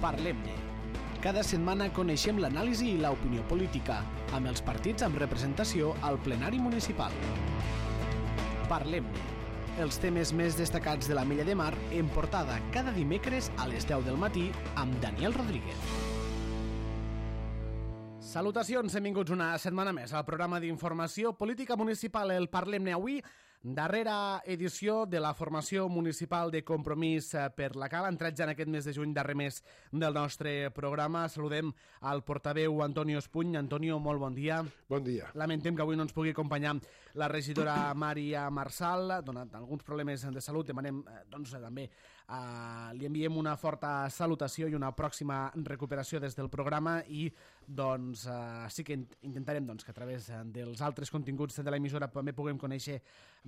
Parlem-ne. Cada setmana coneixem l'anàlisi i l'opinió política, amb els partits amb representació al plenari municipal. Parlem-ne. Els temes més destacats de la Mella de Mar en portada cada dimecres a les 10 del matí amb Daniel Rodríguez. Salutacions, benvinguts una setmana més al programa d'informació política municipal, el Parlem-ne avui, darrera edició de la formació municipal de Compromís per la Cala. Entrats ja en aquest mes de juny, darrer mes del nostre programa. Saludem al portaveu Antonio Espuny. Antonio, molt bon dia. Bon dia. Lamentem que avui no ens pugui acompanyar la regidora Maria Marsal, donat alguns problemes de salut. Demanem, doncs, també li enviem una forta salutació i una pròxima recuperació des del programa i, doncs, sí que intentarem que a través dels altres continguts de l'emissora també puguem conèixer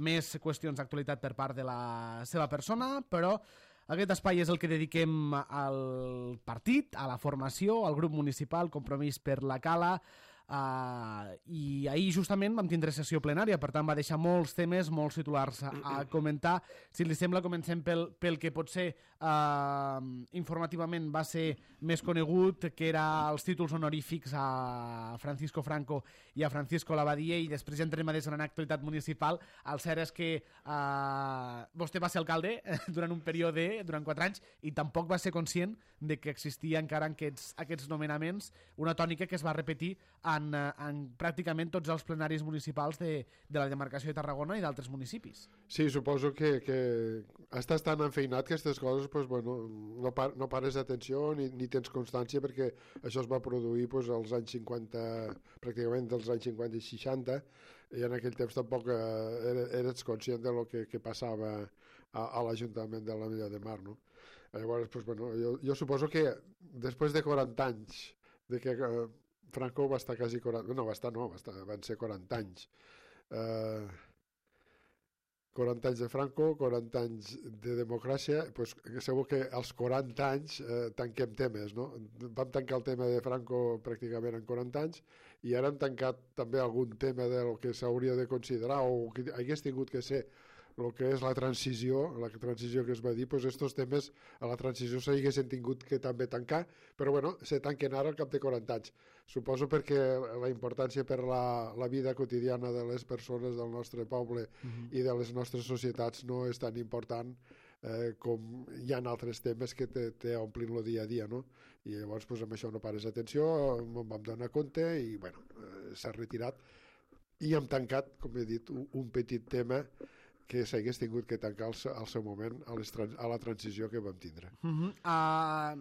més qüestions d'actualitat per part de la seva persona, però aquest espai és el que dediquem al partit, a la formació, al grup municipal Compromís per la Cala, i ahir justament vam tindre sessió plenària, per tant va deixar molts temes, molts titulars a comentar. Si li sembla, comencem pel que potser informativament va ser més conegut, que era els títols honorífics a Francisco Franco i a Francisco Labadia, i després ja entrem a desgranar actualitat municipal. El cert és que vostè va ser alcalde durant un període, durant 4 anys, i tampoc va ser conscient de que existia encara aquests nomenaments, una tònica que es va repetir en pràcticament tots els plenaris municipals de la demarcació de Tarragona i d'altres municipis. Sí, suposo que estàs tan enfeinat que aquestes coses no pares d'atenció ni tens constància, perquè això es va produir als anys 50, pràcticament dels anys 50 i 60, i en aquell temps tampoc eres conscient de lo que passava a l'Ajuntament de la Mella de Mar, no? Llavors, jo suposo que després de 40 anys de que Franco va estar quasi 40... van ser 40 anys. 40 anys de Franco, 40 anys de democràcia, segur que als 40 anys tanquem temes, no? Vam tancar el tema de Franco pràcticament en 40 anys i ara hem tancat també algun tema del que s'hauria de considerar o que hagués tingut que ser el que és la transició que es va dir, estos temes a la transició s'haguessin tingut que també tancar, però se tanquen ara al cap de 40 anys. Suposo perquè la importància per la vida quotidiana de les persones del nostre poble i de les nostres societats no és tan important com hi ha altres temes que te omplin el dia a dia, no? I llavors amb això no pares atenció, em vam donar compte i s'ha retirat i hem tancat, com he dit, un petit tema que s'hagués tingut que tancar al seu moment a la transició que vam tindre.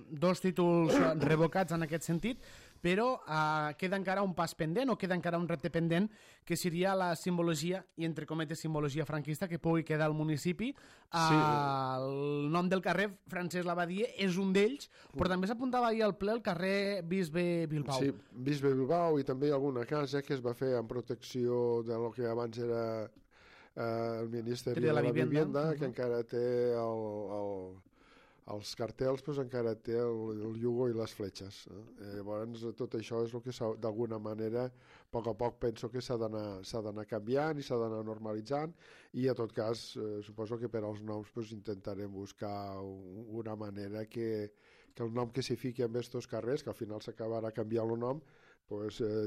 Dos títols revocats en aquest sentit, però queda encara un pas pendent o queda encara un repte pendent, que seria la simbologia, i entre cometes simbologia franquista, que pugui quedar al municipi. El nom del carrer Francesc Labadia és un d'ells, però també s'apuntava ahir al ple el carrer Bisbe Bilbao. Sí, Bisbe Bilbao, i també alguna casa que es va fer en protecció de lo que abans era el Ministeri de la Vivienda, que encara té els cartells, encara té el Yugo i les fletxes. Llavors tot això és el que d'alguna manera a poc penso que s'ha d'anar canviant i s'ha d'anar normalitzant, i a tot cas suposo que per als noms intentarem buscar una manera que el nom que s'hi fiqui en estos carrers, que al final s'acabarà canviant el nom,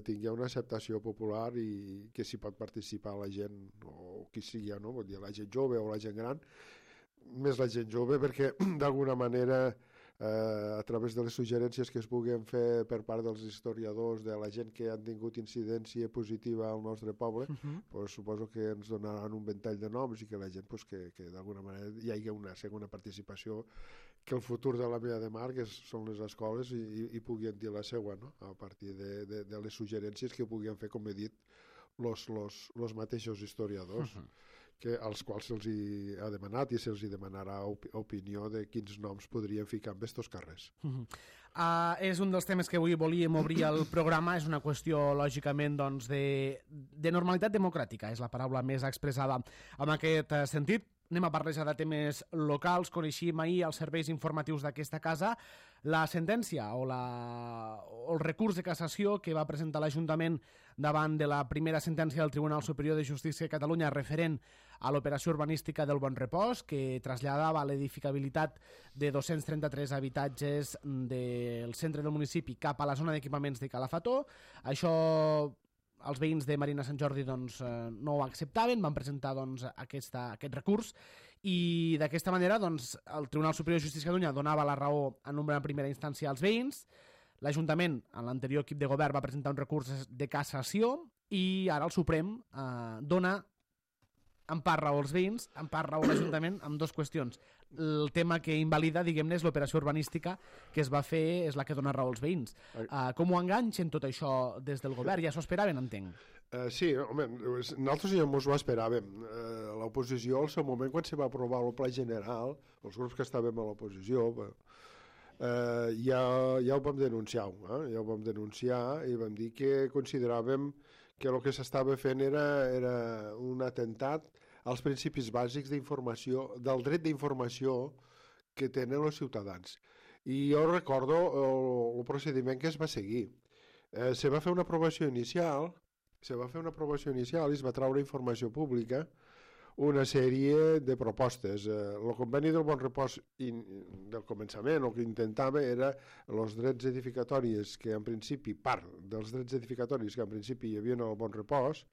tingui una acceptació popular i que s'hi pot participar la gent, o qui sigui, no? Vull dir, la gent jove o la gent gran, més la gent jove, perquè d'alguna manera a través de les suggerències que es puguin fer per part dels historiadors, de la gent que han tingut incidència positiva al nostre poble, suposo que ens donaran un ventall de noms i que la gent que d'alguna manera hi hagi una segona participació, que el futur de la Mella de Mar, que són les escoles, i puguin dir la seua, no? A partir de les suggerències que puguin fer, com he dit, los mateixos historiadors, als quals se'ls ha demanat i se'ls demanarà opinió de quins noms podrien ficar en estos carrers. És un dels temes que avui volíem obrir el programa. És una qüestió, lògicament, de normalitat democràtica, és la paraula més expressada en aquest sentit. Anem a parlar ja de temes locals. Coneixíem ahir els serveis informatius d'aquesta casa la sentència o el recurs de cassació que va presentar l'Ajuntament davant de la primera sentència del Tribunal Superior de Justícia de Catalunya referent a l'operació urbanística del Bon Repòs, que traslladava l'edificabilitat de 233 habitatges del centre del municipi cap a la zona d'equipaments de Calafató. Això els veïns de Marina Sant Jordi doncs, no ho acceptaven, van presentar doncs, aquest recurs i d'aquesta manera doncs, el Tribunal Superior de Justícia de Catalunya donava la raó en una primera instància als veïns. L'Ajuntament, en l'anterior equip de govern, va presentar un recurs de cassació i ara el Suprem dona en part raó als veïns, en part raó a l'Ajuntament amb dues qüestions. El tema que invalida, diguem-ne, és l'operació urbanística que es va fer, és la que dona raó als veïns. Com ho enganxen tot això des del govern? Ja s'ho esperaven, entenc. Sí, home, nosaltres ja ens ho esperàvem. L'oposició, al seu moment, quan se va aprovar el pla general, els grups que estàvem a l'oposició, ja ho vam denunciar, ja ho vam denunciar i vam dir que consideràvem que el que s'estava fent era un atemptat als principis bàsics d'informació, del dret d'informació que tenen els ciutadans. I jo recordo el procediment que es va seguir. Se va fer una aprovació inicial, i es va treure informació pública, una sèrie de propostes. El conveni del Bon Repòs del començament, el que intentava era els drets edificatoris que en principi, part dels drets edificatoris que en principi hi havia al Bon Repòs,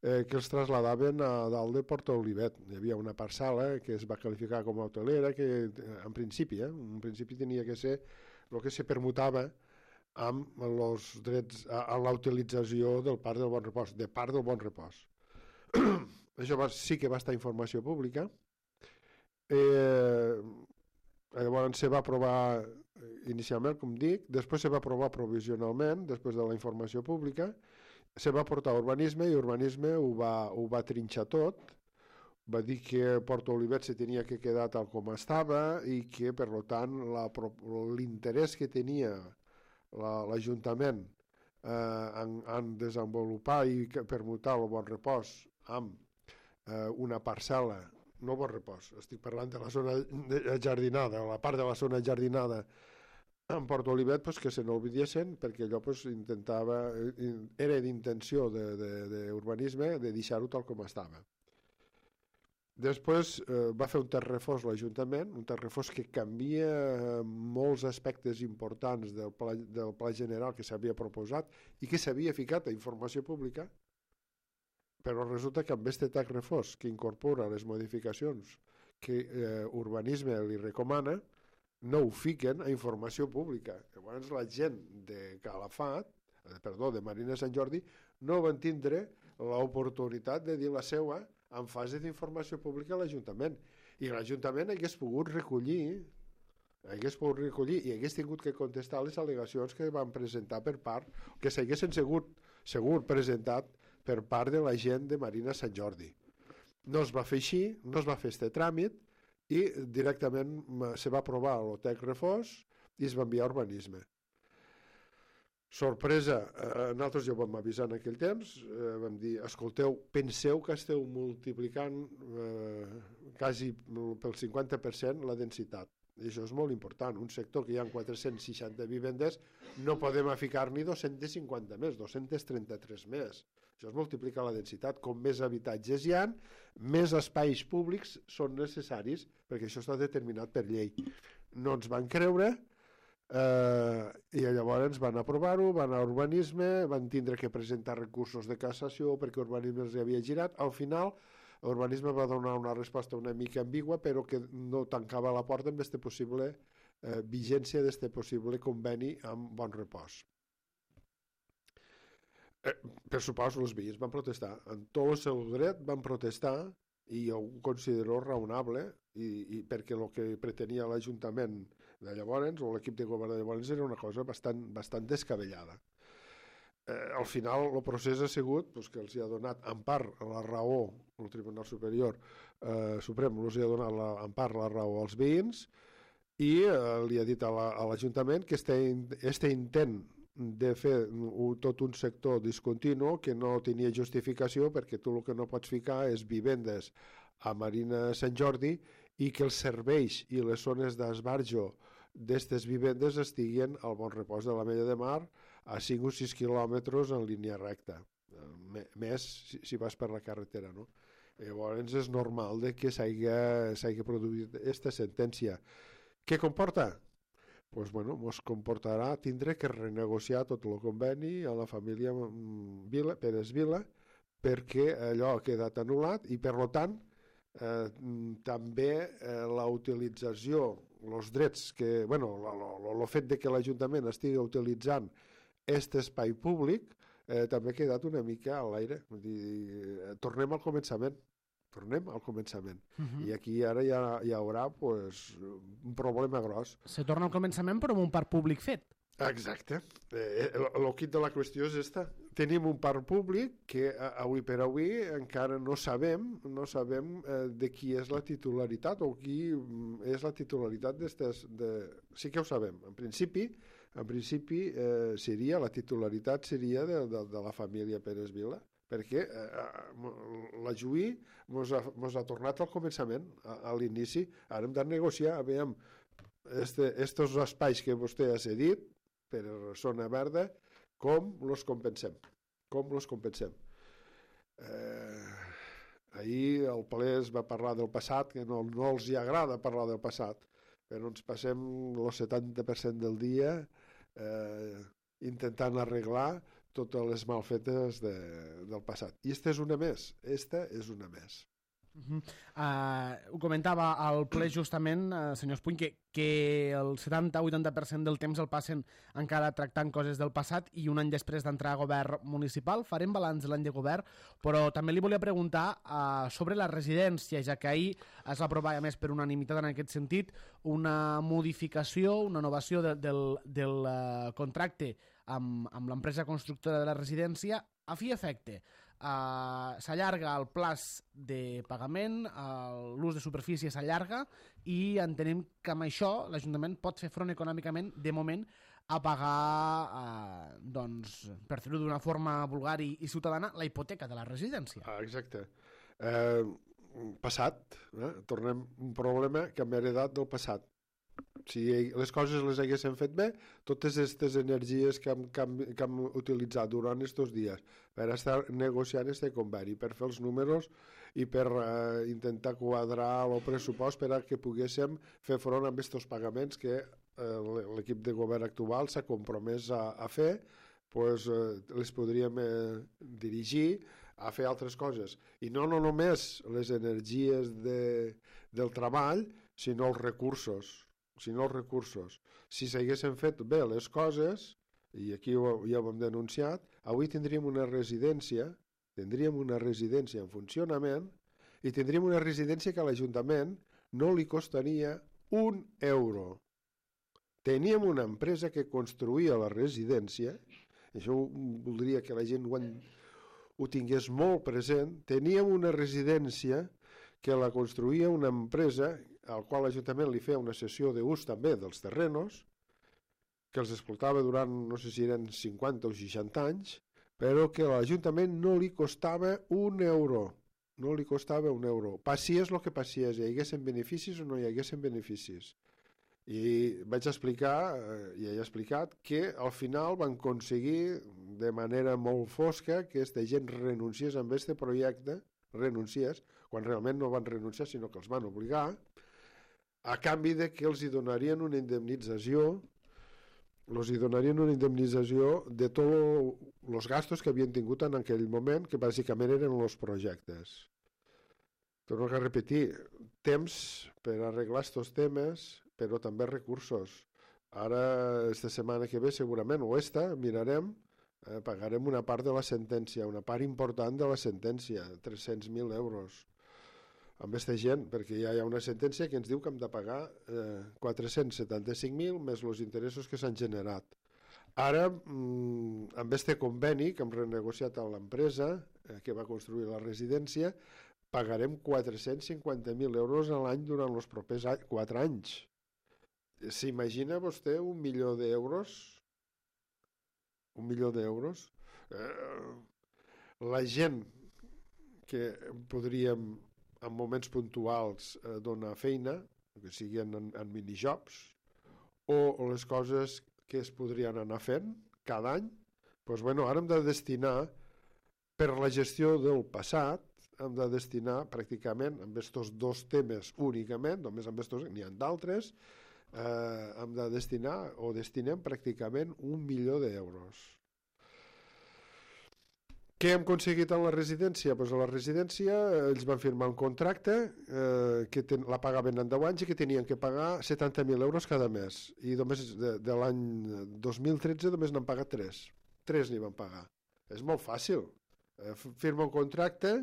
que els trasladaven a dalt de Porta Olivet. Hi havia una parcel·la que es va qualificar com a hotelera que en principi tenia que ser el que se permutava amb els drets a la utilització del parc del Bon Repòs, de part del Bon Repòs. Això sí que va estar informació pública. Llavors se va aprovar inicialment, com dic, després se va aprovar provisionalment, després de la informació pública, se va portar a urbanisme i urbanisme ho va trinxar tot, va dir que Porta Olivet se tenia que quedar tal com estava i que, per tant, l'interès que tenia l'Ajuntament en desenvolupar i permutar el Bon Repòs amb una parcel·la, no Bon Repòs, estic parlant de la zona jardinada, la part de la zona jardinada en Porta Olivet, que se n'oblidiessin, perquè allò era d'intenció d'urbanisme de deixar-ho tal com estava. Després va fer un terrefós l'Ajuntament, un terrefós que canvia molts aspectes importants del pla general que s'havia proposat i que s'havia ficat a informació pública, però resulta que amb aquest terrefós que incorpora les modificacions que urbanisme li recomana, no ho fiquen a informació pública. Llavors la gent de de Marina Sant Jordi, no van tindre l'oportunitat de dir la seva en fase d'informació pública a l'Ajuntament. I l'Ajuntament hagués pogut recollir i hagués tingut que contestar les al·legacions que van presentar per part, que s'haguessin segur presentat per part de la gent de Marina Sant Jordi. No es va fer així, no es va fer aquest tràmit, i directament se va aprovar el terrefós i es va enviar a urbanisme. Sorpresa, nosaltres ja ho vam avisar en aquell temps, vam dir, escolteu, penseu que esteu multiplicant quasi pel 50% la densitat. I això és molt important. Un sector que hi ha 460 vivendes, no podem ficar-n'hi 250 més, 233 més. Això es multiplica la densitat. Com més habitatges hi ha, més espais públics són necessaris, perquè això està determinat per llei. No ens van creure i llavors van aprovar-ho, van a urbanisme, van tindre que presentar recursos de cassació perquè urbanisme els havia girat. Al final, urbanisme va donar una resposta una mica ambigua, però que no tancava la porta amb aquesta possible vigència d'aquest possible conveni amb Bon Repòs. Per suposo, els veïns van protestar. En tot el seu dret van protestar i jo ho considero raonable perquè el que pretenia l'Ajuntament de llavors o l'equip de govern de llavors era una cosa bastant descabellada. Al final el procés ha sigut que els ha donat en part la raó el Tribunal Superior Suprem, els ha donat en part la raó als veïns i li ha dit a l'Ajuntament que este intent de fer tot un sector discontinu que no tenia justificació perquè tu el que no pots ficar és vivendes a Marina Sant Jordi i que els serveis i les zones d'esbarjo d'aquestes vivendes estiguen al Bon Repòs de l'Ametlla de Mar a 5 o 6 quilòmetres en línia recta, més si vas per la carretera, no? Llavors és normal que s'hagi produït aquesta sentència. Què comporta? Pues bueno, ens comportarà tindre que renegociar tot el conveni a la família Pérez Vila perquè allò ha quedat anul·lat i per tant també la utilització, els drets que, bueno, el fet de que l'Ajuntament estigui utilitzant aquest espai públic també ha quedat una mica a l'aire. Tornem al començament. I aquí ara hi haurà pues, un problema gros. Se torna al començament però amb un parc públic fet. Exacte. El quid de la qüestió és esta. Tenim un parc públic que avui per avui encara no sabem de qui és la titularitat o qui és la titularitat d'estes... Sí que ho sabem. En principi la titularitat seria de la família Pérez Vila, perquè la Juí ens ha tornat al començament, a l'inici. Ara hem de negociar, aviam, estos espais que vostè ha cedit per zona verda, com els compensem. Ahir el ple es va parlar del passat, que no els hi agrada parlar del passat, però ens passem el 70% del dia intentant arreglar totes les malfetes del passat. I esta és una més. Ho comentava al ple justament, senyor Espuny, que el 70-80% del temps el passen encara tractant coses del passat i un any després d'entrar a govern municipal. Farem balanç de l'any de govern, però també li volia preguntar sobre la residència, ja que ahir es va aprovar, a més per unanimitat en aquest sentit, una modificació, una innovació del contracte amb l'empresa constructora de la residència a fi i efecte. S'allarga el plaç de pagament, l'ús de superfície s'allarga i entenem que amb això l'Ajuntament pot fer front econòmicament de moment a pagar, per fer-ho d'una forma vulgar i ciutadana, la hipoteca de la residència. Exacte. Passat, tornem un problema que hem heredat del passat. Si les coses les haguéssim fet bé, totes aquestes energies que hem utilitzat durant aquests dies per estar negociant aquest conveni, per fer els números i per intentar quadrar el pressupost per a que poguéssim fer front a aquests pagaments que l'equip de govern actual s'ha compromès a fer, les podríem dirigir a fer altres coses. I no només les energies del treball, sinó els recursos. Si s'haguessin fet bé les coses, i aquí ja ho hem denunciat, avui tindríem una residència en funcionament i tindríem una residència que a l'Ajuntament no li costaria un euro. Teníem una empresa que construïa la residència, això voldria que la gent ho tingués molt present, teníem una residència que la construïa una empresa al qual l'Ajuntament li feia una cessió d'ús també dels terrenos, que els explotava durant, no sé si eren 50 o 60 anys, però que a l'Ajuntament no li costava un euro. Passies el que passies, hi haguessin beneficis o no hi haguessin beneficis. I vaig explicar, i he explicat, que al final van aconseguir de manera molt fosca que aquesta gent renunciés a aquest projecte, quan realment no van renunciar, sinó que els van obligar, a canvi de que els donarien una indemnització de tots els gastos que havien tingut en aquell moment, que bàsicament eren els projectes. Torno a repetir, temps per arreglar aquests temes, però també recursos. Ara, esta setmana que ve, segurament, mirarem, pagarem una part de la sentència, una part important de la sentència, 300.000 euros. Amb aquesta gent, perquè ja hi ha una sentència que ens diu que hem de pagar 475.000 més els interessos que s'han generat. Ara, amb aquest conveni que hem renegociat amb l'empresa que va construir la residència, pagarem 450.000 euros a l'any durant els propers 4 anys. S'imagina vostè 1 milió d'euros? 1 milió d'euros? La gent que podríem en moments puntuals donar feina, que siguin en minijobs, o les coses que es podrien anar fent cada any, doncs, ara hem de destinar, per la gestió del passat, hem de destinar pràcticament, amb aquests dos temes únicament, només amb aquests, n'hi ha d'altres, hem de destinar, o destinem pràcticament 1 milió d'euros. Què hem aconseguit en la residència? Pues a la residència ells van firmar un contracte que la pagaven en 10 anys i que tenien que pagar 70.000 euros cada mes. I només de l'any 2013 només n'han pagat 3. 3 n'hi van pagar. És molt fàcil. Firma un contracte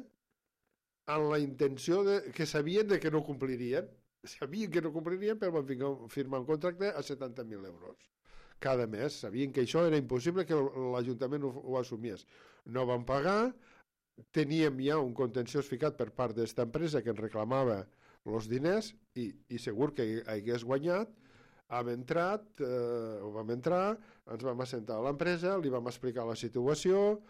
amb la intenció que sabien que no complirien. Sabien que no complirien, però van firmar un contracte a 70.000 euros cada mes. Sabien que això era impossible que l'Ajuntament ho assumies. No van pagar, teníem ja un contenciós ficat per part d'esta empresa que ens reclamava els diners i segur que hagués guanyat. Vam entrar, ens vam assentar a l'empresa, li vam explicar la situació,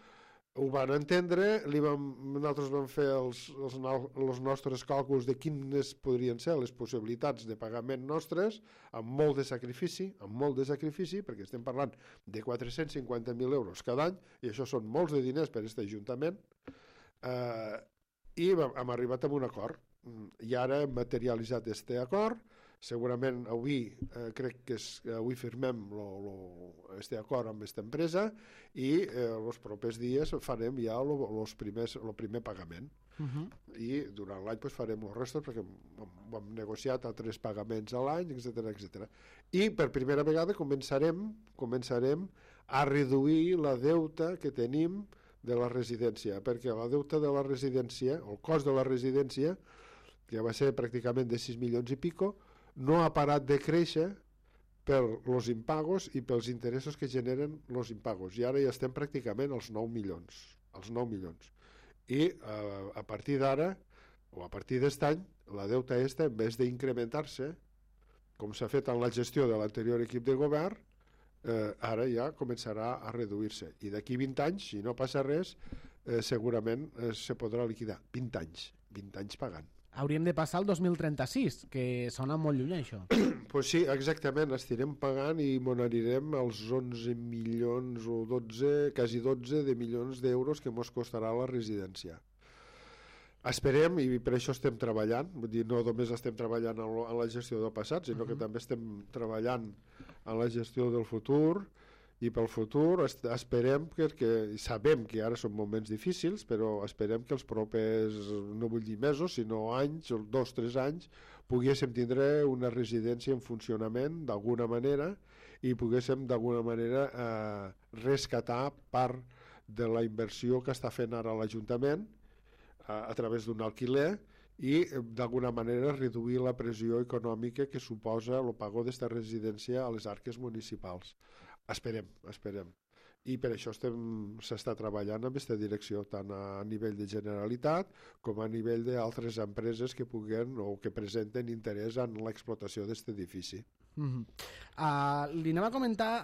ho van entendre, nosaltres vam fer els nostres càlculs de quines podrien ser les possibilitats de pagament nostres, amb molt de sacrifici, perquè estem parlant de 450.000 euros cada any, i això són molts de diners per a aquest Ajuntament, i hem arribat a un acord. I ara hem materialitzat aquest acord. Segurament avui crec que avui firmem aquest acord amb aquesta empresa i els propers dies farem ja el primer pagament. I durant l'any farem els restos perquè hem negociat altres pagaments a l'any, etc. I per primera vegada començarem a reduir la deuta que tenim de la residència, perquè la deuta de la residència, el cost de la residència, que va ser pràcticament de 6 milions i pico, no ha parat de créixer per els impagos i pels interessos que generen els impagos. I ara ja estem pràcticament als 9 milions. I a partir d'ara, o a partir d'aquest any, la deuta aquesta, en vez d'incrementar-se, com s'ha fet en la gestió de l'anterior equip de govern, ara ja començarà a reduir-se. I d'aquí 20 anys, si no passa res, segurament se podrà liquidar. 20 anys pagant. Hauríem de passar al 2036, que sona molt lluny, això. Pues sí, exactament, estirem pagant i n'anirem als 11 milions o 12, quasi 12 de milions d'euros que ens costarà la residència. Esperem, i per això estem treballant, vull dir, no només estem treballant en la gestió del passat, sinó que també estem treballant en la gestió del futur, i pel futur esperem que sabem que ara són moments difícils, però esperem que els propers, no vull dir mesos, sinó anys, 2 o 3 anys, poguéssim tindre una residència en funcionament d'alguna manera i poguéssim d'alguna manera rescatar part de la inversió que està fent ara l'Ajuntament a través d'un alquiler i d'alguna manera reduir la pressió econòmica que suposa el pagó d'esta residència a les arques municipals. Esperem. I per això s'està treballant en aquesta direcció, tant a nivell de Generalitat com a nivell d'altres empreses que puguen o que presenten interès en l'explotació d'aquest edifici. Li anem a comentar,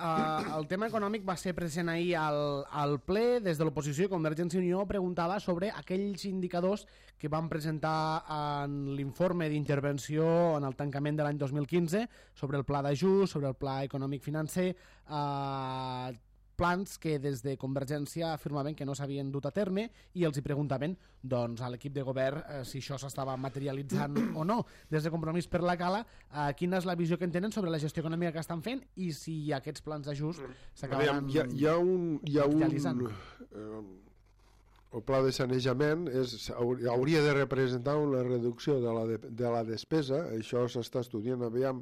el tema econòmic va ser present ahir al ple. Des de l'oposició, Convergència i Unió preguntava sobre aquells indicadors que van presentar en l'informe d'intervenció en el tancament de l'any 2015 sobre el pla d'ajust, sobre el pla econòmic financer, plans que des de Convergència afirmaven que no s'havien dut a terme i els hi preguntaven doncs, a l'equip de govern si això s'estava materialitzant o no. Des de Compromís per la Cala, quina és la visió que en tenen sobre la gestió econòmica que estan fent i si aquests plans d'ajust s'acabaran realitzant? El pla de sanejament hauria de representar una reducció de la despesa. Això s'està estudiant, aviam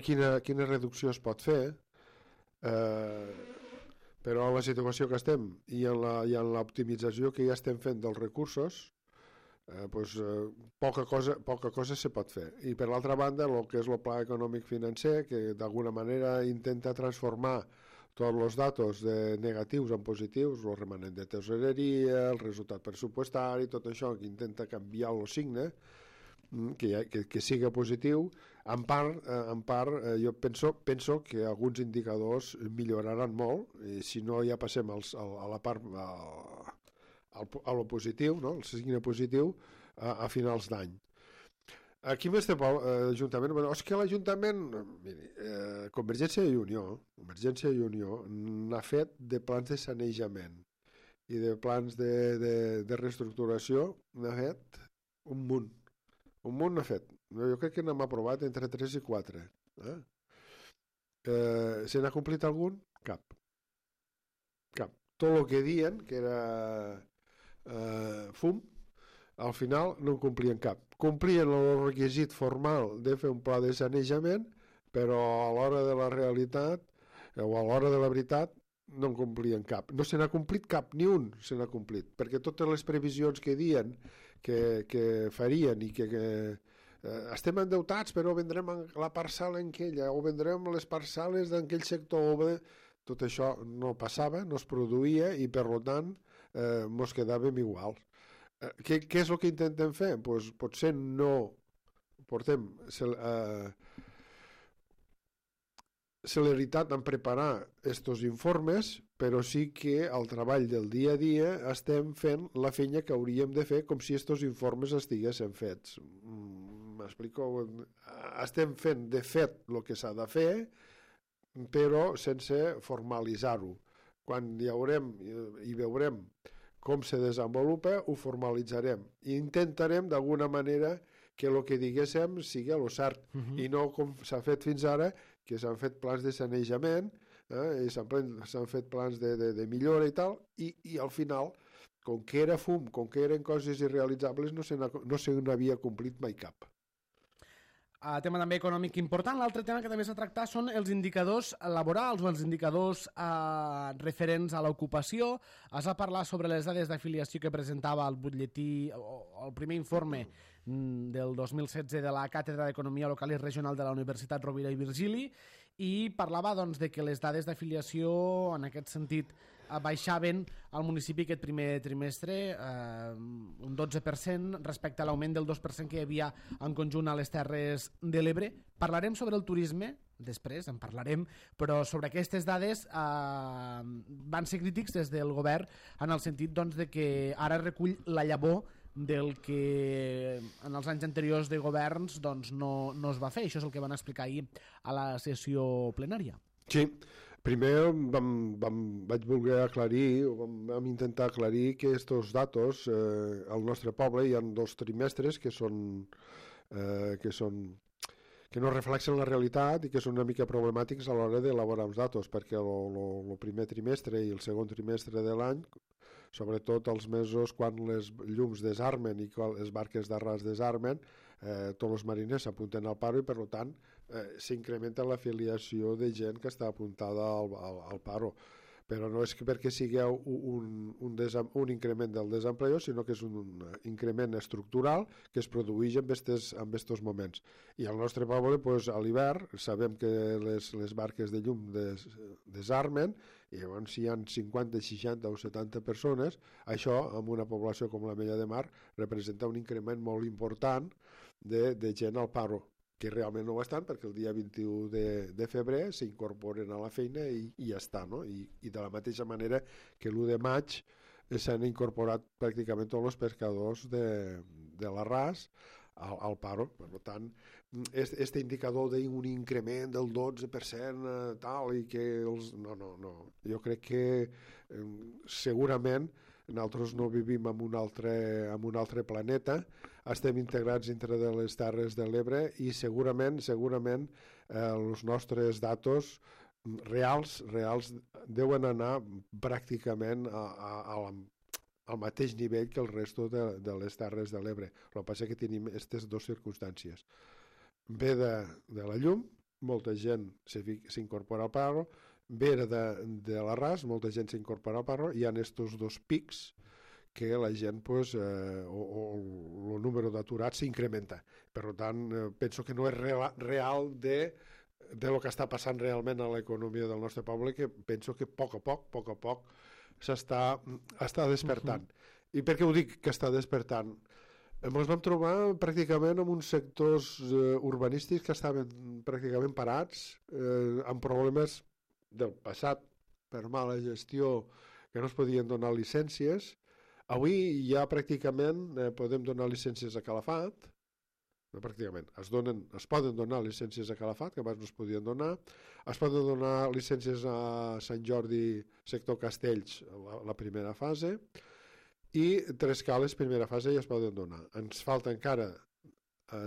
quina reducció es pot fer, però en la situació que estem i en l'optimització que ja estem fent dels recursos, poca cosa se pot fer. I per l'altra banda, el que és el pla econòmic financer, que d'alguna manera intenta transformar tots els datos negatius en positius, el remanent de tesoreria, el resultat pressupostari, tot això que intenta canviar el signe, que siga positiu. En part jo penso que alguns indicadors milloraran molt, i si no ja passem a la part a lo positiu, no? El signe positiu, a finals d'any. Aquí més té l'Ajuntament, és que l'Ajuntament, Convergència i Unió n'ha fet de plans de sanejament i de plans de reestructuració, n'ha fet un munt n'ha fet. Jo crec que n'hem aprovat entre 3 i 4. Se n'ha complit algun? Cap. Tot el que diuen que era fum, al final no en complien cap. Complien el requisit formal de fer un pla de sanejament, però a l'hora de la realitat o a l'hora de la veritat no en complien cap. No se n'ha complit cap, ni un se n'ha complit, perquè totes les previsions que diuen que farien i que estem endeutats però vendrem la parcel·la en aquella o vendrem les parcel·les d'aquell sector, tot això no passava, no es produïa i per tant mos quedàvem igual. Què és el que intentem fer? Pues, potser no portem celeritat en preparar estos informes, però sí que al treball del dia a dia estem fent la feina que hauríem de fer com si estos informes estiguessin fets. M'explico? Estem fent de fet el que s'ha de fer, però sense formalitzar-ho. Quan hi haurem i veurem com se desenvolupa, ho formalitzarem i intentarem d'alguna manera que el que diguéssim sigui el cert i no com s'ha fet fins ara, que s'han fet plans de sanejament i s'han fet plans de millora i tal, i al final, com que era fum, com que eren coses irrealitzables, no se n'havia complit mai cap. Tema també econòmic important. L'altre tema que també s'ha tractat són els indicadors laborals o els indicadors referents a l'ocupació. Es va parlar sobre les dades d'afiliació que presentava el butlletí o el primer informe del 2016 de la Càtedra d'Economia Local i Regional de la Universitat Rovira i Virgili, i parlava doncs, de que les dades d'afiliació en aquest sentit baixaven al municipi aquest primer trimestre un 12% respecte a l'augment del 2% que hi havia en conjunt a les Terres de l'Ebre. Parlarem sobre el turisme, després en parlarem, però sobre aquestes dades van ser crítics des del govern en el sentit doncs, de que ara recull la llavor del que en els anys anteriors de governs doncs, no es va fer. Això és el que van explicar ahir a la sessió plenària. Sí, primer vaig voler aclarir, vam intentar aclarir que estos datos al nostre poble hi ha 2 trimestres que no reflexen la realitat i que són una mica problemàtics a l'hora d'elaborar uns datos, perquè el primer trimestre i el segon trimestre de l'any, sobretot els mesos quan les llums desarmen i quan les barques d'arràs desarmen, tots els mariners s'apunten al paro i per tant s'incrementa l'afiliació de gent que està apuntada al paro. Però no és perquè sigui un increment del desempleo, sinó que és un increment estructural que es produeix en aquests moments. I al nostre poble, a l'hivern, sabem que les barques de llum desarmen, i llavors si hi ha 50, 60 o 70 persones, això, amb una població com la Mella de Mar, representa un increment molt important de gent al paro, que realment no ho estan perquè el dia 21 de febrer s'incorporen a la feina i ja està, no? I de la mateixa manera que l'1 de maig s'han incorporat pràcticament tots els pescadors de l'Arràs al paro. Per tant, aquest indicador d'un increment del 12% tal i que els... No. Jo crec que segurament nosaltres no vivim en un altre planeta, estem integrats dintre de les Terres de l'Ebre i segurament els nostres datos reals deuen anar pràcticament al mateix nivell que el resto de les Terres de l'Ebre. El que passa és que tenim aquestes 2 circumstàncies. Ve de la llum, molta gent s'incorpora al paro, ve de l'Arràs, molta gent s'incorpora al paro, hi ha aquests 2 pics que la gent, o el número d'aturats s'incrementa. Per tant, penso que no és real de lo que està passant realment a l'economia del nostre poble, que penso que a poc està despertant. I per què ho dic que està despertant? Ens vam trobar pràcticament en uns sectors urbanístics que estaven pràcticament parats, amb problemes del passat per mala gestió, que no es podien donar llicències, Avui ja pràcticament podem donar llicències a Calafat, no, pràcticament, es poden donar llicències a Calafat, que abans no es podien donar, es poden donar llicències a Sant Jordi, sector Castells, la primera fase, i Tres Cales, primera fase, ja es poden donar. Ens falta encara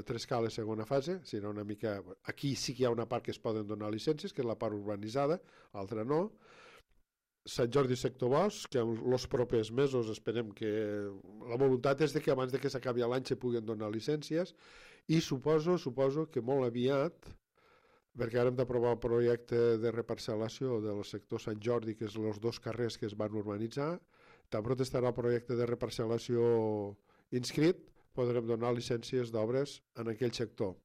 Tres Cales, segona fase, serà una mica... Aquí sí que hi ha una part que es poden donar llicències, que és la part urbanitzada, l'altra no. Sant Jordi sector Bosc, que en els propers mesos esperem que... La voluntat és de que abans de que s'acabi l'any se puguen donar llicències, i suposo que molt aviat, perquè ara hem d'aprovar el projecte de reparcel·lació del sector Sant Jordi, que és els 2 carrers que es van urbanitzar, tan pront estarà el projecte de reparcel·lació inscrit, podrem donar llicències d'obres en aquell sector.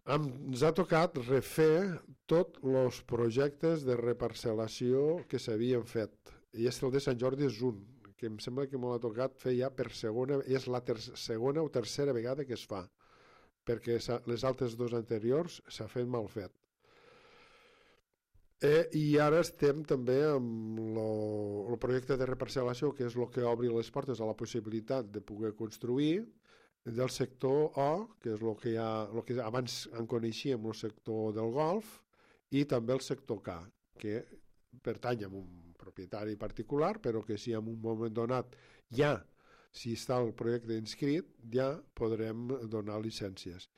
Ens ha tocat refer tots els projectes de reparcel·lació que s'havien fet, i el de Sant Jordi és un, que em sembla que m'ho ha tocat fer ja per segona, és la segona o tercera vegada que es fa, perquè les altres 2 anteriors s'ha fet mal fet. I ara estem també amb el projecte de reparcel·lació, que és el que obri les portes a la possibilitat de poder construir, del sector O, que és el que abans en coneixíem, el sector del golf, i també el sector K, que pertany a un propietari particular, però que si en un moment donat ja, si està el projecte inscrit, ja podrem donar llicències.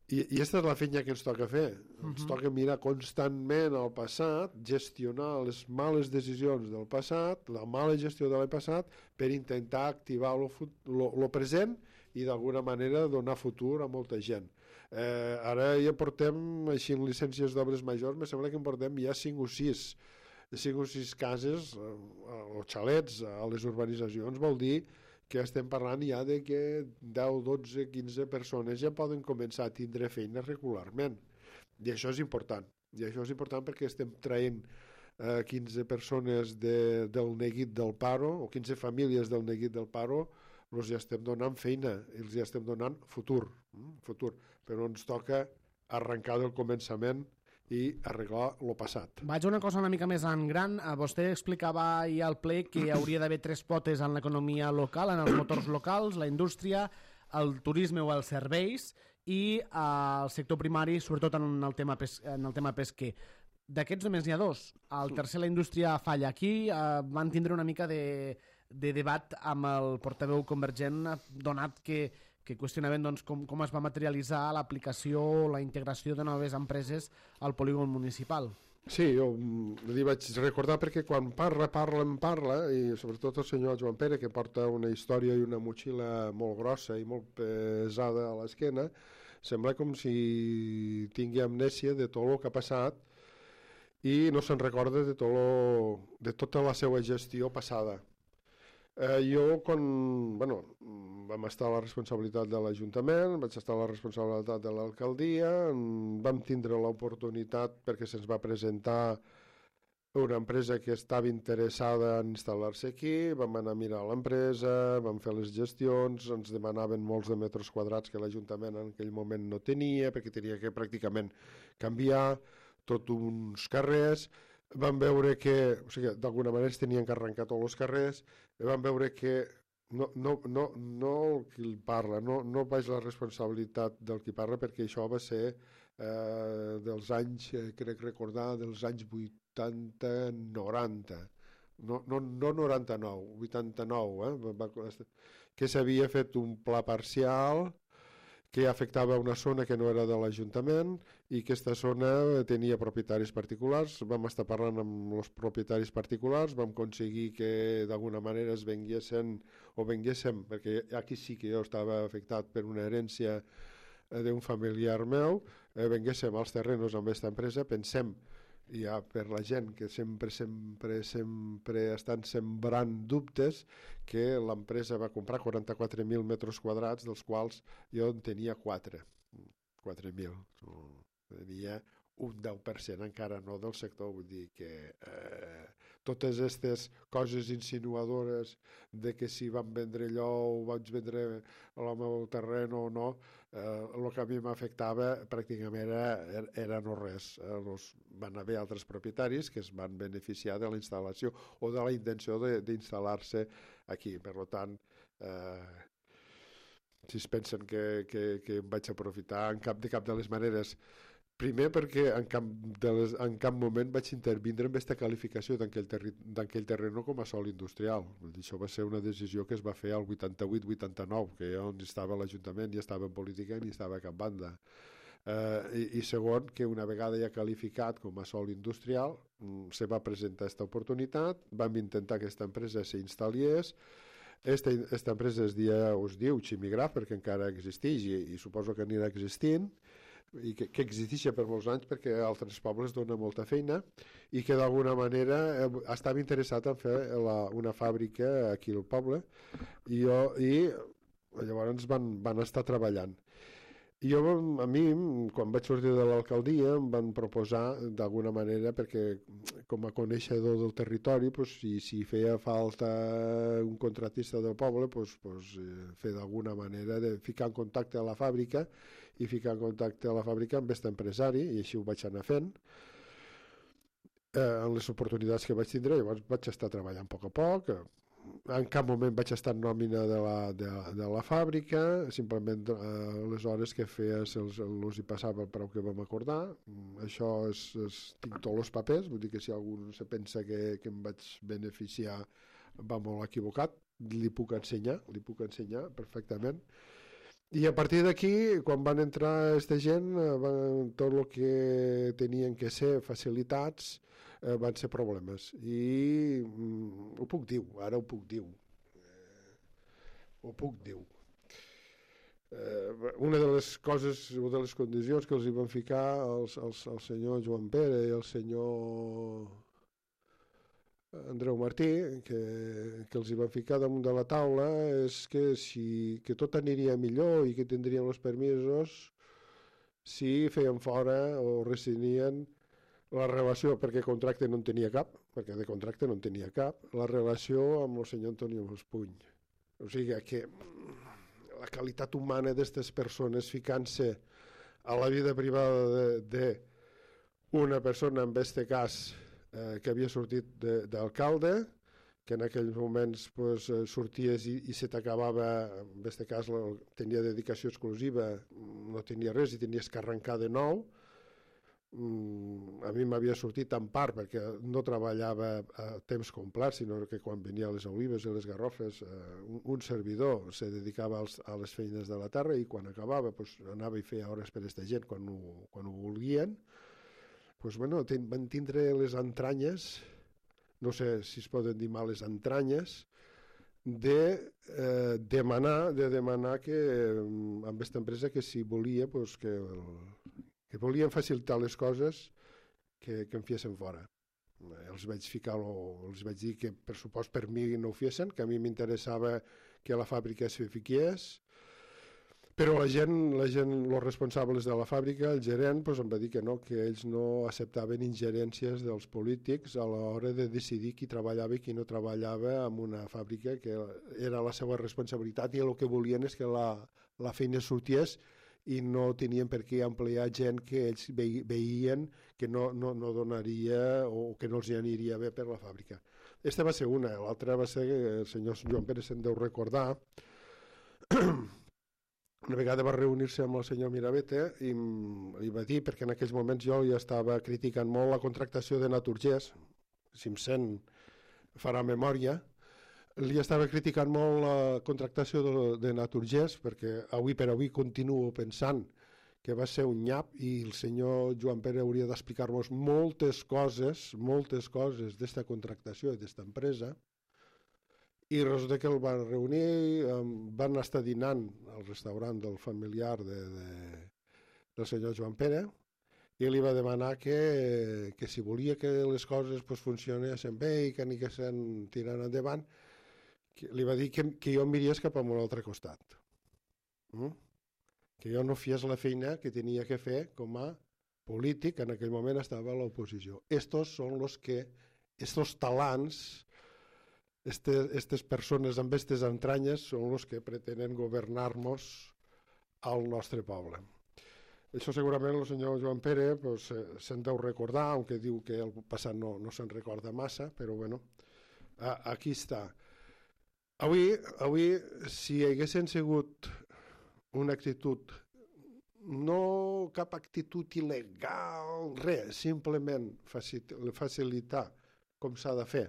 I aquesta és la feina que ens toca fer. Ens toca mirar constantment el passat, gestionar les males decisions del passat, la mala gestió de l'any passat, per intentar activar el present i d'alguna manera donar futur a molta gent. Ara ja portem, així en llicències d'obres majors, me sembla que en portem ja 5 o 6 cases o xalets a les urbanitzacions. Vol dir que estem parlant ja de que 10, 12, 15 persones ja poden començar a tindre feina regularment, i això és important, perquè estem traient 15 persones del neguit del paro, o 15 famílies del neguit del paro, els ja estem donant feina, els ja estem donant futur, però ens toca arrencar del començament i arreglar el passat. Vaig a una cosa una mica més en gran. Vostè explicava ahir al ple que hauria d'haver 3 potes en l'economia local, en els motors locals, la indústria, el turisme o els serveis, i el sector primari, sobretot en el tema pesquer. D'aquests només n'hi ha 2. El tercer, la indústria, falla. Aquí van tindre una mica de debat amb el portaveu convergent, donat que qüestionaven com es va materialitzar l'aplicació o la integració de noves empreses al polígon municipal. Sí, jo li vaig recordar perquè quan parla, i sobretot el senyor Joan Pere, que porta una història i una motxilla molt grossa i molt pesada a l'esquena, sembla com si tingui amnèsia de tot el que ha passat i no se'n recorda de tota la seva gestió passada. Jo, quan vam estar a la responsabilitat de l'Ajuntament, vaig estar a la responsabilitat de l'alcaldia, vam tindre l'oportunitat perquè se'ns va presentar una empresa que estava interessada en instal·lar-se aquí, vam anar a mirar l'empresa, vam fer les gestions, ens demanaven molts de metres quadrats que l'Ajuntament en aquell moment no tenia, perquè tenia que pràcticament canviar tots uns carrers. Vam veure que, o sigui, d'alguna manera es tenien que arrencar tots els carrers, i vam veure que no el qui parla, no vaig la responsabilitat del qui parla, perquè això va ser dels anys, crec recordar, dels anys 80-90, no 99, 89, que s'havia fet un pla parcial que afectava una zona que no era de l'Ajuntament i aquesta zona tenia propietaris particulars. Vam estar parlant amb els propietaris particulars, vam aconseguir que d'alguna manera es venguéssim, perquè aquí sí que jo estava afectat per una herència d'un familiar meu, venguéssim als terrenos amb aquesta empresa. Pensem, ja per la gent que sempre estan sembrant dubtes, que l'empresa va comprar 44.000 metres quadrats, dels quals jo en tenia 4.000. Tenia un 10% encara no del sector, vull dir que totes aquestes coses insinuadores de que si van vendre allò o vaig vendre el meu terreny o no, el que a mi m'afectava pràcticament era no res. Van haver altres propietaris que es van beneficiar de la instal·lació o de la intenció d'instal·lar-se aquí. Per tant, si es pensen que em vaig aprofitar de cap de les maneres. Primer perquè en cap moment vaig intervindre en aquesta qualificació d'aquell terreny com a sòl industrial. Això va ser una decisió que es va fer al 88-89, que jo on estava a l'Ajuntament, ni estava en política ni estava a cap banda. I segon, que una vegada ja qualificat com a sòl industrial, se va presentar aquesta oportunitat, vam intentar que aquesta empresa s'instal·liés. Aquesta empresa es diu Chimigraf perquè encara existeix i suposo que anirà existint, i que existeix per molts anys perquè a altres pobles dona molta feina i que d'alguna manera estava interessat en fer una fàbrica aquí al poble i llavors van estar treballant. I a mi, quan vaig sortir de l'alcaldia, em van proposar d'alguna manera, perquè com a coneixedor del territori, si feia falta un contratista del poble, fer d'alguna manera de ficar en contacte a la fàbrica i ficar en contacte a la fàbrica amb aquest empresari, i així ho vaig anar fent. En les oportunitats que vaig tindre, llavors vaig estar treballant a poc. En cap moment vaig estar en nòmina de la fàbrica, simplement les hores que feia els hi passava el preu que vam acordar. Això tinc tots els papers, vull dir que si algú se pensa que em vaig beneficiar va molt equivocat, li puc ensenyar perfectament. I a partir d'aquí, quan van entrar aquesta gent, tot el que tenien que ser facilitats van ser problemes. I ho puc dir, ara ho puc dir. Una de les coses, una de les condicions que els hi van ficar el senyor Joan Pere i el senyor Andreu Martí, que els hi van ficar damunt de la taula, és que tot aniria millor i que tindrien els permisos si feien fora o rescindien la relació, perquè contracte no en tenia cap, la relació amb el senyor Antonio Mospuny. O sigui que la qualitat humana d'aquestes persones ficant-se a la vida privada d'una persona, en aquest cas, que havia sortit d'alcalde, que en aquells moments sorties i se t'acabava, en aquest cas tenia dedicació exclusiva, no tenia res i tenies que arrencar de nou. A mi m'havia sortit en part perquè no treballava a temps complet, sinó que quan venia a les olives i les garrofes un servidor se dedicava a les feines de la terra i quan acabava anava i feia hores per aquesta gent quan ho volien. Van tindre les entranyes, no sé si es poden dir males entranyes, de demanar que amb aquesta empresa que si volia que volien facilitar les coses que em fiessin fora. Els vaig dir que per supost per mi no ho fiessin, que a mi m'interessava que la fàbrica es fiquiés, però la gent, els responsables de la fàbrica, el gerent, em va dir que no, que ells no acceptaven ingerències dels polítics a l'hora de decidir qui treballava i qui no treballava en una fàbrica, que era la seva responsabilitat i el que volien és que la feina sorties i no tenien per què emplear gent que ells veien que no donaria o que no els aniria bé per la fàbrica. Aquesta va ser una, l'altra va ser que el senyor Joan Pere se'n deu recordar. Una vegada va reunir-se amb el senyor Mirabete i li va dir, perquè en aquells moments jo ja estava criticant molt la contractació de Naturgés, si em sent farà memòria, li estava criticant molt la contractació de Naturgés perquè avui per avui continuo pensant que va ser un nyap i el senyor Joan Pere hauria d'explicar-nos moltes coses d'esta contractació i d'esta empresa. I resulta que el van reunir, van estar dinant al restaurant del familiar del senyor Joan Pere i li va demanar que si volia que les coses funcionessin bé i que anessin tirant endavant, li va dir que jo em miriés cap a un altre costat. Que jo no fies la feina que tenia que fer com a polític, en aquell moment estava a l'oposició. Estos són estos talants, estas persones amb aquestes entranyes són els que pretenen governar-nos al nostre poble. Això segurament el senyor Joan Pere pues, se'n deu recordar, aunque diu que el passat no se'n recorda massa, però bueno, aquí està. Avui, si haguessin sigut una actitud, no cap actitud il·legal, res, simplement facilitar com s'ha de fer,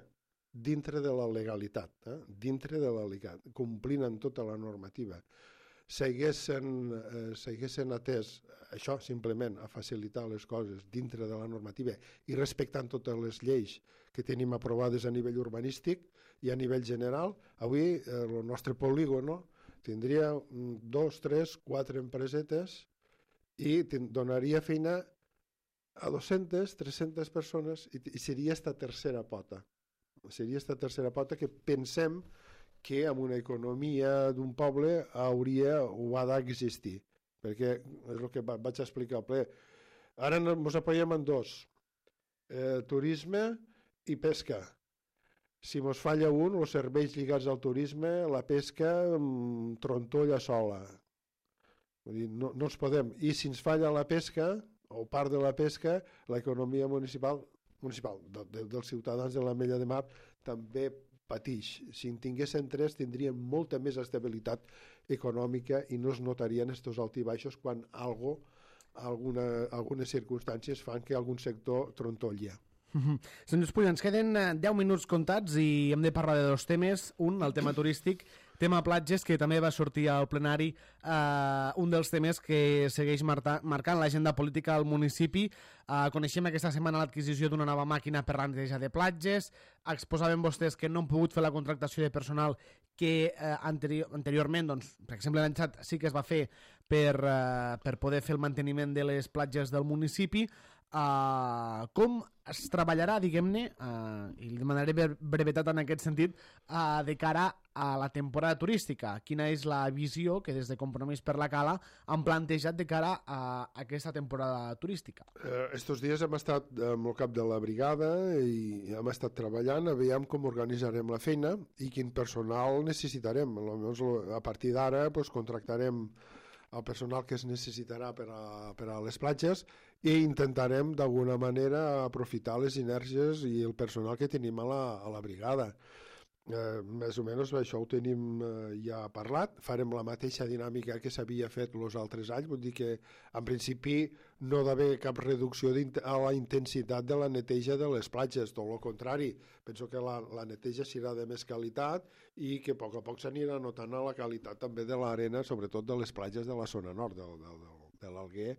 dintre de la legalitat, dintre de la legalitat, complint amb tota la normativa, s'haguessin atès això simplement a facilitar les coses dintre de la normativa i respectant totes les lleis que tenim aprovades a nivell urbanístic i a nivell general, avui el nostre polígono tindria 2, 3, 4 empresetes i donaria feina a 200, 300 persones i seria esta tercera pota. Seria esta tercera pota que pensem que amb una economia d'un poble hauria o ha d'existir, perquè és el que vaig explicar al ple. Ara ens apoyem en dos, turisme i pesca. Si ens falla un, els serveis lligats al turisme, la pesca trontolla sola. Vull dir, no ens podem. I si ens falla la pesca, o part de la pesca, l'economia municipal dels ciutadans de l'Ametlla de Mar també pateix. Si en tinguessin 3 tindrien molta més estabilitat econòmica i no es notarien estos altibaixos quan algunes circumstàncies fan que algun sector trontolla. Senyor Espull, ens queden 10 minuts comptats i hem de parlar de 2 temes. Un, el tema turístic, tema platges, que també va sortir al plenari, un dels temes que segueix marcant l'agenda política al municipi. Coneixem aquesta setmana l'adquisició d'una nova màquina per la neteja de platges. Exposaven vostès que no han pogut fer la contractació de personal que anteriorment, doncs, per exemple l'any passat sí que es va fer per poder fer el manteniment de les platges del municipi. Com es treballarà, diguem-ne, i li demanaré brevetat en aquest sentit, de cara a la temporada turística? Quina és la visió que des de Compromís per la Cala han plantejat de cara a aquesta temporada turística? Estos dies hem estat amb el cap de la brigada i hem estat treballant, veiem com organitzarem la feina i quin personal necessitarem. A partir d'ara contractarem el personal que es necessitarà per a les platges i intentarem d'alguna manera aprofitar les inèrcies i el personal que tenim a la brigada. Més o menys això ho tenim ja parlat, farem la mateixa dinàmica que s'havia fet els altres anys, vull dir que en principi no ha d'haver cap reducció a la intensitat de la neteja de les platges, tot el contrari, penso que la neteja serà de més qualitat i que a poc s'anirà notant la qualitat també de l'arena, sobretot de les platges de la zona nord de l'Alguer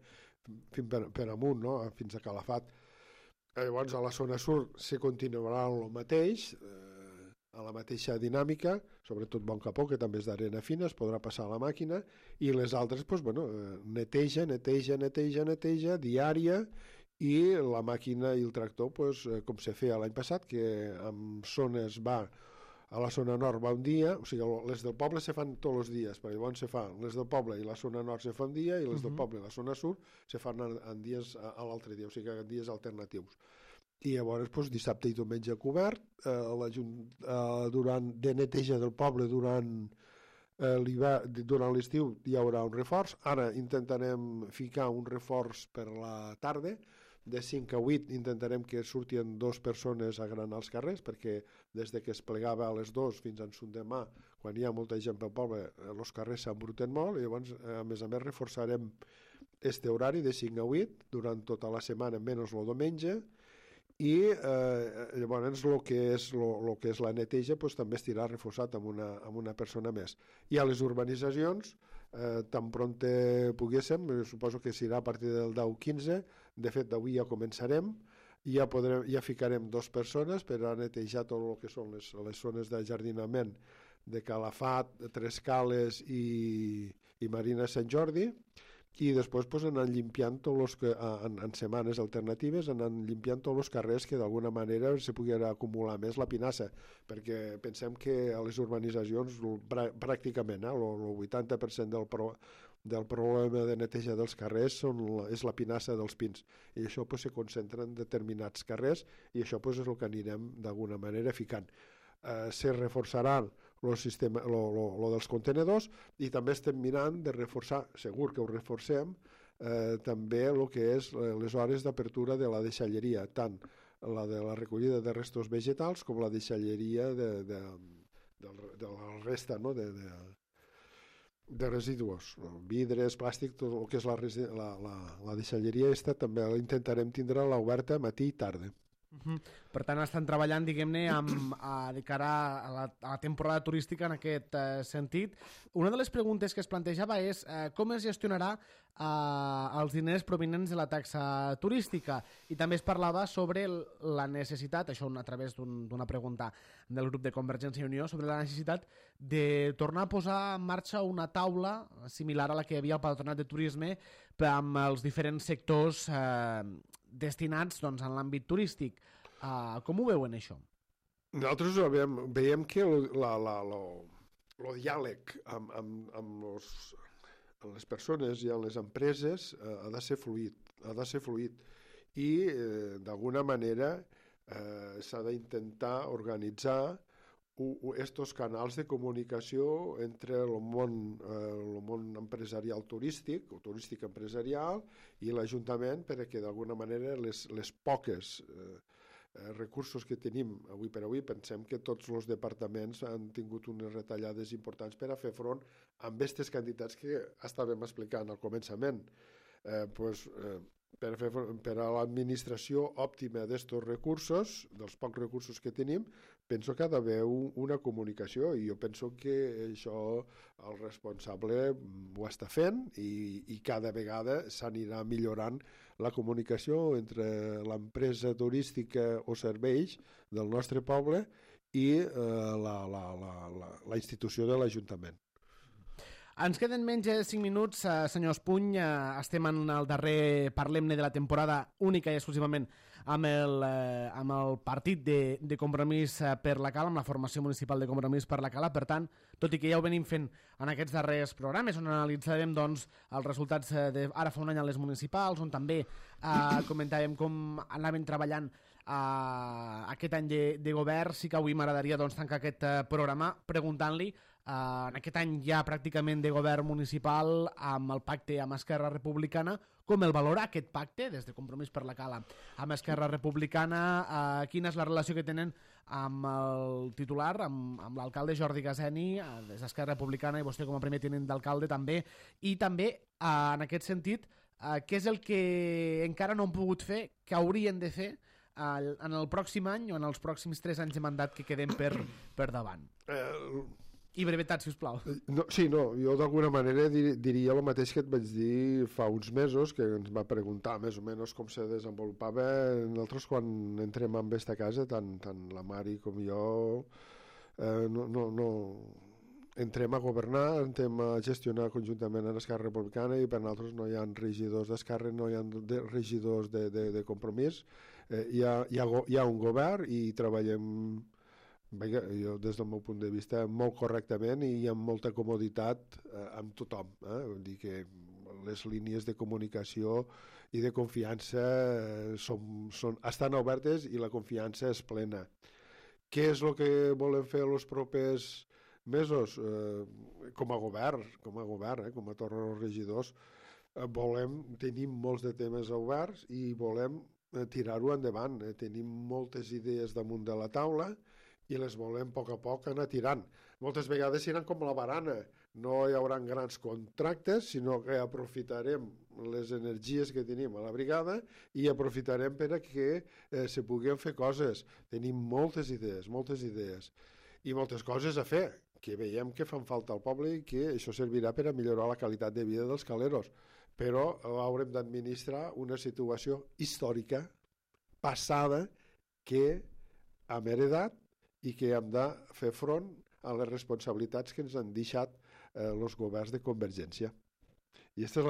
fins per amunt, no? Fins a Calafat. Llavors a la zona sud se continuarà el mateix, a la mateixa dinàmica, sobretot Bon Capó, que també és d'arena fina, es podrà passar a la màquina, i les altres, neteja, diària, i la màquina i el tractor, com se feia l'any passat, que en zones va, a la zona nord va un dia, o sigui, les del poble se fan tots els dies, perquè llavors se fan les del poble i la zona nord se fan un dia, i les del poble i la zona sud se fan en dies a l'altre dia, o sigui, en dies alternatius. I llavors dissabte i diumenge cobert, de neteja del poble durant l'estiu hi haurà un reforç. Ara intentarem ficar un reforç per la tarda, de 5 a 8 intentarem que surtin 2 persones a granar els carrers, perquè des que es plegava a les 2 fins a demà, quan hi ha molta gent pel poble, els carrers s'embruten molt, i llavors a més reforçarem este horari de 5 a 8 durant tota la setmana, menys el diumenge, i llavors el que és la neteja també estirà reforçat amb una persona més. I a les urbanitzacions, tan pronte poguéssim, suposo que serà a partir del 10-15, de fet d'avui ja començarem, i ja ficarem 2 persones per a netejar tot el que són les zones de jardinament de Calafat, Tres Cales i Marina Sant Jordi, i després anant limpiant en setmanes alternatives, anant limpiant tots els carrers que d'alguna manera se pugui acumular més la pinassa, perquè pensem que a les urbanitzacions pràcticament el 80% del problema de neteja dels carrers és la pinassa dels pins, i això pues, se concentra en determinats carrers, i això pues, és el que anirem d'alguna manera ficant. Se reforçarà el sistema lo dels contenedors, i també estem mirant de reforçar, segur que ho reforcem, també el que és les hores d'apertura de la deixalleria, tant la de la recollida de restos vegetals com la deixalleria de la resta, no? de residus, vidres, plàstic, tot el que és la deixalleria també intentarem tindre-la oberta matí i tarda. Per tant, estan treballant, diguem-ne, de cara a la temporada turística en aquest sentit. Una de les preguntes que es plantejava és com es gestionarà els diners provinents de la taxa turística, i també es parlava sobre la necessitat, això a través d'una pregunta del grup de Convergència i Unió, sobre la necessitat de tornar a posar en marxa una taula similar a la que hi havia al Patronat de Turisme amb els diferents sectors destinats doncs, en l'àmbit turístic. Com ho veuen, això? Nosaltres veiem que el diàleg amb les persones i amb les empreses ha de ser fluid, i d'alguna manera s'ha d'intentar organitzar estos canals de comunicació entre el món empresarial turístic o turístic empresarial i l'Ajuntament, perquè d'alguna manera les poques recursos que tenim avui per avui, pensem que tots els departaments han tingut unes retallades importants per a fer front amb aquestes quantitats que estàvem explicant al començament. Per a l'administració òptima d'estos recursos, dels pocs recursos que tenim, penso que ha d'haver una comunicació, i jo penso que això el responsable ho està fent, i cada vegada s'anirà millorant la comunicació entre l'empresa turística o serveis del nostre poble i la institució de l'Ajuntament. Ens queden menys de 5 minuts, senyor Espuny. Estem en el darrer Parlem-ne de la temporada, única i exclusivament amb el partit de Compromís per la Cala, amb la formació municipal de Compromís per la Cala. Per tant, tot i que ja ho venim fent en aquests darrers programes, on analitzarem doncs, els resultats ara fa un any a les municipals, on també comentàvem com anaven treballant aquest any de govern, sí que avui m'agradaria doncs, tancar aquest programa preguntant-li en aquest any ja pràcticament de govern municipal amb el pacte amb Esquerra Republicana, com el valora aquest pacte des de Compromís per la Cala amb Esquerra Republicana, quina és la relació que tenen amb el titular, amb l'alcalde Jordi Gaseni des d'Esquerra Republicana, i vostè com a primer tinent d'alcalde també, i també en aquest sentit què és el que encara no han pogut fer, que haurien de fer en el pròxim any o en els pròxims 3 anys de mandat que queden per davant. I brevetat, sisplau. Jo d'alguna manera diria el mateix que et vaig dir fa uns mesos, que ens va preguntar més o menys com se desenvolupava. Nosaltres quan entrem en aquesta casa, tant la Mari com jo, entrem a governar, entrem a gestionar conjuntament amb Esquerra Republicana, i per nosaltres no hi ha regidors d'Esquerra, no hi ha regidors de Compromís. Hi ha un govern i treballem, jo des del meu punt de vista, molt correctament i amb molta comoditat amb tothom. Vull dir que les línies de comunicació i de confiança estan obertes i la confiança és plena. Què és el que volem fer els propers mesos? Com a govern, com a torre dels regidors, tenim molts de temes oberts i volem tirar-ho endavant. Tenim moltes idees damunt de la taula i les volem a poc anar tirant. Moltes vegades seran com la barana, no hi haurà grans contractes, sinó que aprofitarem les energies que tenim a la brigada i aprofitarem per a que se puguin fer coses. Tenim moltes idees i moltes coses a fer, que veiem que fan falta al poble i que això servirà per a millorar la qualitat de vida dels caleros. Però haurem d'administrar una situació històrica, passada, que hem heredat i que hem de fer front a les responsabilitats que ens han deixat els governs de Convergència. I aquesta és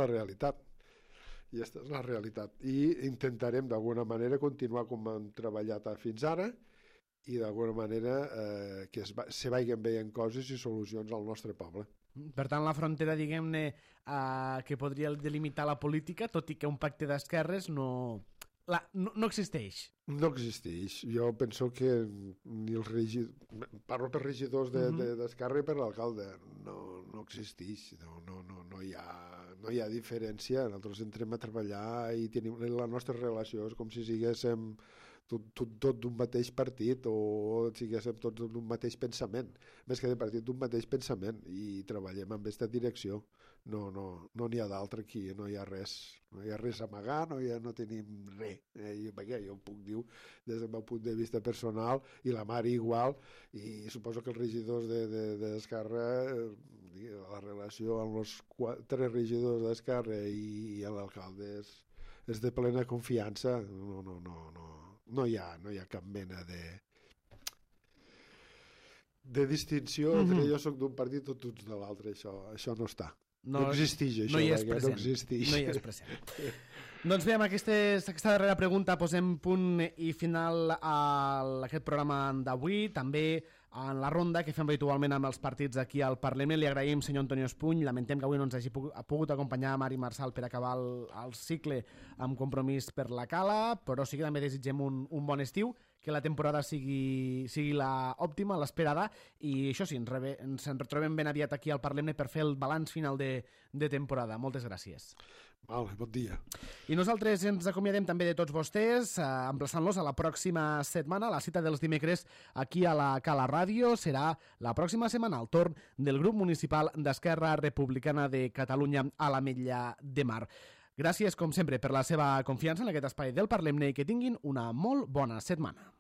la realitat. I intentarem d'alguna manera continuar com hem treballat fins ara i d'alguna manera que se vagin veient coses i solucions al nostre poble. Per tant, la frontera, diguem-ne, que podria delimitar la política, tot i que un pacte d'esquerres no existeix. No existeix. Jo penso que ni els regidors... Parlo per regidors d'Esquerra i per l'alcalde. No existeix. No hi ha diferència. Nosaltres entrem a treballar i tenim la nostra relació. És com si siguéssim tot d'un mateix partit o siguéssim tots d'un mateix pensament. Més que de partit, d'un mateix pensament. I treballem en aquesta direcció. No n'hi ha d'altre aquí, no hi ha res. No hi ha res a amagar, no tenim res. Jo ho puc dir des del meu punt de vista personal, i la Mari igual, i suposo que els regidors d'Esquerra, la relació amb els 4 regidors d'Esquerra i l'alcalde és de plena confiança. No hi ha cap mena de distinció entre jo soc d'un partit o tu ets de l'altre. Això no està. No existeix, això. No hi és present. No hi és present. Doncs bé, amb aquesta darrera pregunta posem punt i final a aquest programa d'avui. També en la ronda que fem habitualment amb els partits aquí al Parlament. Li agraïm, senyor Antonio Espuny. Lamentem que avui no ens hagi pogut acompanyar Mari Marsal per acabar el cicle amb Compromís per la Cala, però sí que també desitgem un bon estiu, que la temporada sigui la òptima, l'esperada, i això sí, ens retrobem ben aviat aquí al Parlament per fer el balanç final de temporada. Moltes gràcies. Vale, bon dia. I nosaltres ens acomiadem també de tots vostès, emplaçant-los a la pròxima setmana. La cita dels dimecres aquí a la Cala Ràdio serà la pròxima setmana, al torn del grup municipal d'Esquerra Republicana de Catalunya a l'Ametlla de Mar. Gràcies, com sempre, per la seva confiança en aquest espai del Parlem-ne i que tinguin una molt bona setmana.